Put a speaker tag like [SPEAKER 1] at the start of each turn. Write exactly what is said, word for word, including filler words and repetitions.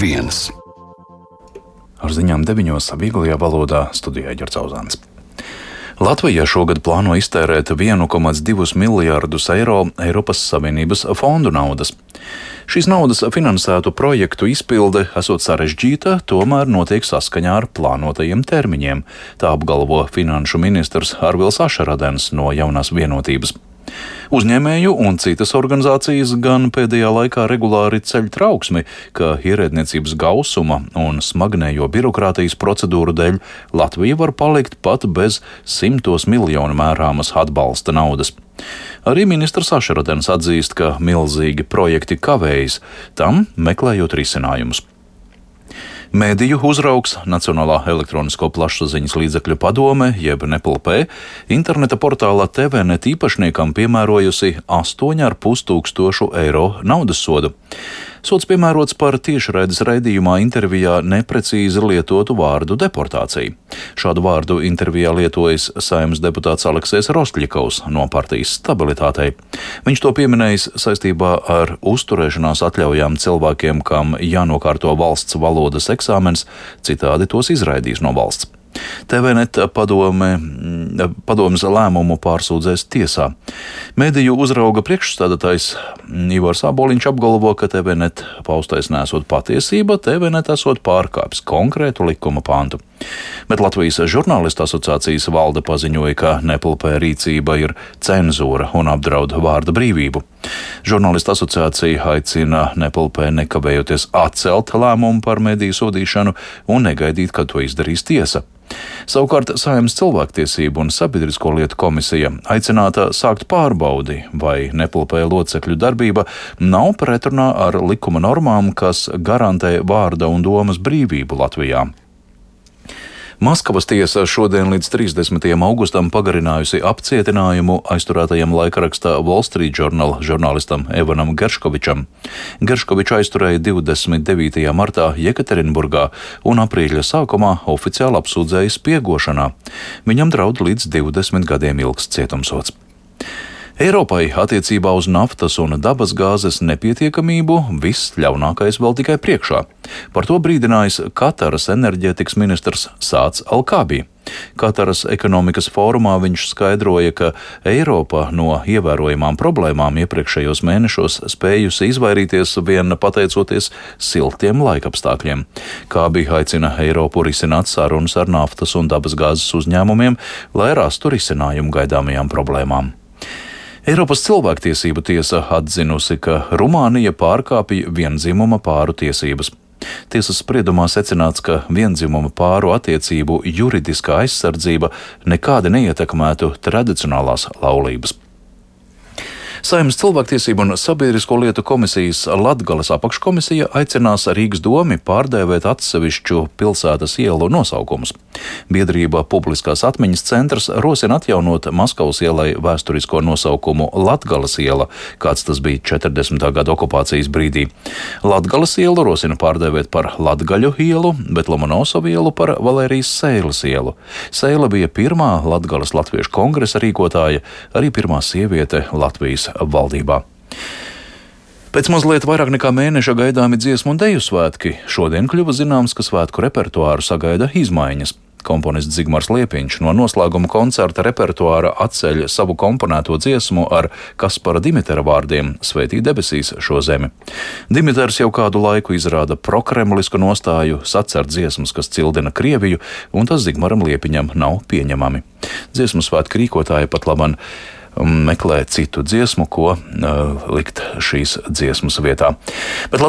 [SPEAKER 1] viens.
[SPEAKER 2] Ar ziņām deviņos vieglajā valodā studijā Ģerts Auzāns. Latvija šogad plāno iztērēt vienu komats divus miljārdus eiro Eiropas Savienības fondu naudas. Šīs naudas finansētu projektu izpilde esot sarežģīta, tomēr notiek saskaņā ar plānotajiem termiņiem, tā apgalvo finanšu ministrs Arvils Ašaradens no Jaunās Vienotības. Uzņēmēju un citas organizācijas gan pēdējā laikā regulāri ceļ trauksmi, ka ierēdniecības gausuma un smagnējo birokrātijas procedūru dēļ Latvija var palikt pat bez simtos miljonu mērāmas atbalsta naudas. Arī ministrs Ašaradens atzīst, ka milzīgi projekti kavējas, tam meklējot risinājumus. Mēdīju uzraugs Nacionālā elektronisko plašsaziņas līdzekļu padome, jeb N E P L P, interneta portālā T V net īpašniekam piemērojusi astoņu ar pus tūkstošu eiro naudas sodu. Sods piemērots par tiešraides raidījumā intervijā neprecīzi lietotu vārdu deportācija. Šādu vārdu intervijā lietojas Saeimas deputāts Aleksejs Rostļikovs no partijas Stabilitātei. Viņš to pieminējis saistībā ar uzturēšanās atļaujām cilvēkiem, kam jānokārto valsts valodas eksāmens, citādi tos izraidīs no valsts. T V net padome, padomes lēmumu pārsūdzēs tiesā. Mēdīju uzrauga priekšstādātājs Ivars Āboliņš apgalvo, ka T V net paustais nesot patiesība, T V net esot pārkāpis konkrētu likuma pantu. Bet Latvijas žurnālistu asociācijas valde paziņoja, ka N E P L P rīcība ir cenzūra un apdraud vārda brīvību. Žurnālistu asociācija aicina N E P L P nekavējoties atcelt lēmumu par mediju sodīšanu un negaidīt, kad to izdarīs tiesa. Savukārt Saeimas cilvēktiesību un sabiedrisko lietu komisija aicināta sākt pārbaudi, vai N E P L P locekļu darbība nav pretrunā ar likuma normām, kas garantē vārda un domas brīvību Latvijā. Maskavas tiesa šodien līdz trīsdesmitajam augustam pagarinājusi apcietinājumu aizturētajam laikrakstā Wall Street Journal žurnālistam Evanam Gerškovičam. Gerškoviču aizturēja divdesmit devītajā martā Jekaterinburgā un aprīļa sākumā oficiāli apsūdzēja spiegošanā. Viņam draud līdz divdesmit gadiem ilgs cietumsods. Eiropai attiecībā uz naftas un dabasgāzes nepietiekamību viss ļaunākais vēl tikai priekšā. Par to brīdinājis Kataras enerģētikas ministrs Sāds Alkābī. Kataras ekonomikas fórumā viņš skaidroja, ka Eiropa no ievērojamām problēmām iepriekšējos mēnešos spējusi izvairīties vien pateicoties siltiem laikapstākļiem. Kābī aicina Eiropu risināt sarunas ar naftas un dabasgāzes uzņēmumiem, lai rastu risinājumu gaidāmajām problēmām. Eiropas cilvēktiesību tiesa atzinusi, ka Rumānija pārkāpja vienzimuma pāru tiesības. Tiesas spriedumā secināts, ka vienzimuma pāru attiecību juridiskā aizsardzība nekādi neietekmētu tradicionālās laulības. Saeimas cilvēktiesību un sabiedrisko lietu komisijas Latgales apakškomisija aicinās Rīgas domi pārdēvēt atsevišķu pilsētas ielu nosaukumus. Biedrība Publiskās atmiņas centrs rosina atjaunot Maskavas ielai vēsturisko nosaukumu Latgales iela, kāds tas bija četrdesmitā gada okupācijas brīdī. Latgales ielu rosina pārdēvēt par Latgaļu ielu, bet Lomonosovu ielu par Valērijas Seiles ielu. Seile bija pirmā Latgales latviešu kongresa rīkotāja, arī pirmā sieviete Latvijas valdībā. Pēc mazliet vairāk nekā mēneša gaidāmi dziesmu un deju svētki šodien kļuva zināms, ka svētku repertuāru sagaida izmaiņas. Komponists Zigmars Liepiņš no noslēguma koncerta repertuāra atceļ savu komponēto dziesmu ar Kaspara Dimitera vārdiem Svētī debesīs šo zemi. Dimiters jau kādu laiku izrāda prokremlisku nostāju, sacer dziesmas, kas cildina Krieviju, un tas Zigmaram Liepiņam nav pieņemami. Dziesmu svētku rīkotāji pat laban meklē citu dziesmu, ko uh, likt šīs dziesmas vietā. Bet